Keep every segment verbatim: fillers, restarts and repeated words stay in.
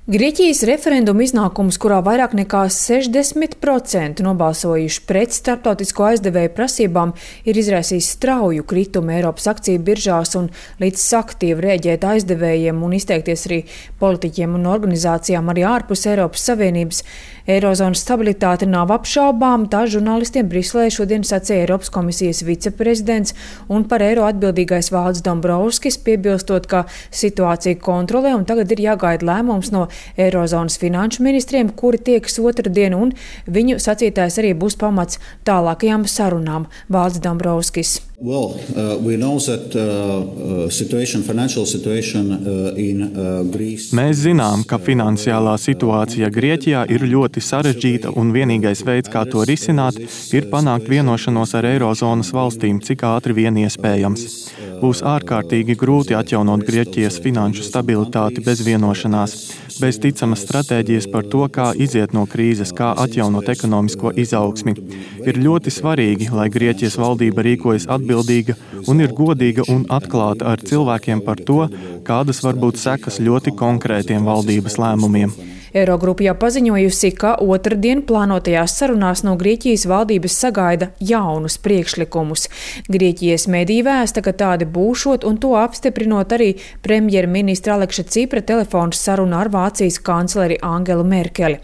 Grieķijas referenduma iznākums, kurā vairāk nekā sešdesmit procenti nobalsojuši pret starptautisko aizdevēju prasībām, ir izraisījis strauju kritumu Eiropas akciju biržās un līdz aktīvi rēģēt aizdevējiem un izteikties arī politiķiem un organizācijām arī ārpus Eiropas Savienības. Eirozonas stabilitāte nav apšaubām, tā žurnālistiem Briselē šodien sacīja Eiropas komisijas viceprezidents un par eiro atbildīgais Valdis Dombrovskis, piebilstot, ka situācija kontrolē un tagad ir jāgaida lēmums no Eirozonas finanšu ministriem, kuri tiekas otrdien, un viņu sacītājs arī būs pamats tālākajām sarunām. Valdis Dombrovskis. Well, uh, we know that uh, situation, financial situation uh, in uh, Greece. Mēs zinām, ka finansiālā situācija Grieķijā ir ļoti sarežģīta un vienīgais veids, kā to risināt, ir panākt vienošanos ar Eirozonas valstīm, cik ātri vien iespējams. Būs ārkārtīgi grūti atjaunot Grieķijas finanšu stabilitāti bez vienošanās, bez ticamas stratēģijas par to, kā iziet no krīzes, kā atjaunot ekonomisko izaugsmi. Ir ļoti svarīgi, lai Grieķijas valdība rīkojas atbildīga un ir godīga un atklāta ar cilvēkiem par to, kādas var būt sekas ļoti konkrētiem valdības lēmumiem. Eirogrupa jau paziņojusi, ka otrdien plānotajās sarunās no Grieķijas valdības sagaida jaunus priekšlikumus. Grieķijas mediji vēsta, ka tādi būšot, un to apstiprinot arī premjerministra Aleksa Cipra telefonu saruna ar Vācijas kancleri Angelu Merkeli.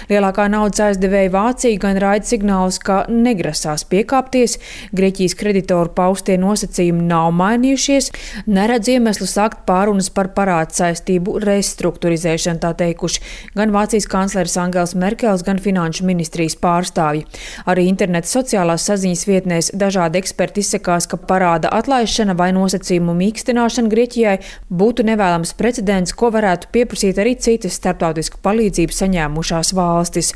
Lielākā naudas aizdevēja Vācija gan raida signālus, ka negrasās piekāpties, Grieķijas kreditoru paustie nosacījumi nav mainījušies, neredz iemeslu sākt pārunas par parādu saistību restruktūrizēšanu, tā teikuši gan Vācijas kancleris Angels Merkels, gan finanšu ministrijas pārstāvji. Arī interneta sociālās saziņas vietnēs dažādi eksperti izsakās, ka parāda atlaišana vai nosacījumu mīkstināšana Grieķijai būtu nevēlams precedents, ko varētu pieprasīt arī citas starptautisku palīdzību saņēmušās valstis.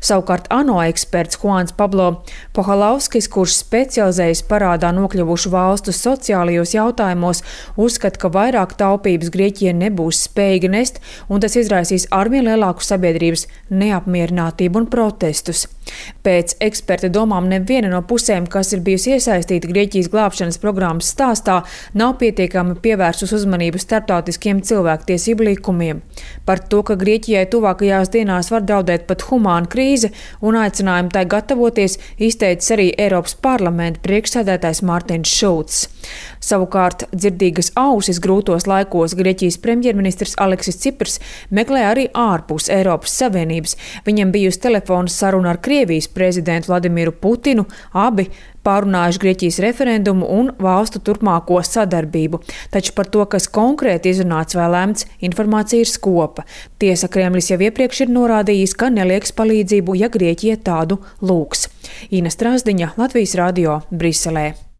Savukārt ANO eksperts Juans Pablo Pohalavskis, kurš specializējas parādā nokļuvušu valstu sociālajos jautājumos, uzskata, ka vairāk taupības Grieķija nebūs spējīga nest, un tas izraisīs arvien lielāku sabiedrības neapmierinātību un protestus. Pēc eksperta domām neviena no pusēm, kas ir bijusi iesaistīta Grieķijas glābšanas programmas stāstā, nav pietiekami pievērsus uzmanību starptautiskiem cilvēktiesību likumiem. Par to, ka Grieķijai tuvākajās dienās var draudēt pat humāna krīze un aicinājumu tai gatavoties, izteicis arī Eiropas parlamenta priekšsēdētājs Mārtiņš Šulcs. Savukārt dzirdīgas ausis grūtos laikos Grieķijas premjerministrs Aleksis Ciprs meklē arī ārpus Eiropas Savienības. Viņam bijusi telefona saruna ar Krievijas prezidentu Vladimiru Putinu, abi pārunājuši Grieķijas referendumu un valstu turpmāko sadarbību. Taču par to, kas konkrēti izrunāts vai lemts, informācija ir skopa. Tiesa, Kremlis jau iepriekš ir norādījis, ka nelieks palīdzību, ja Grieķija tādu lūgs. Ina Strasdiņa, Latvijas radio, Briselē.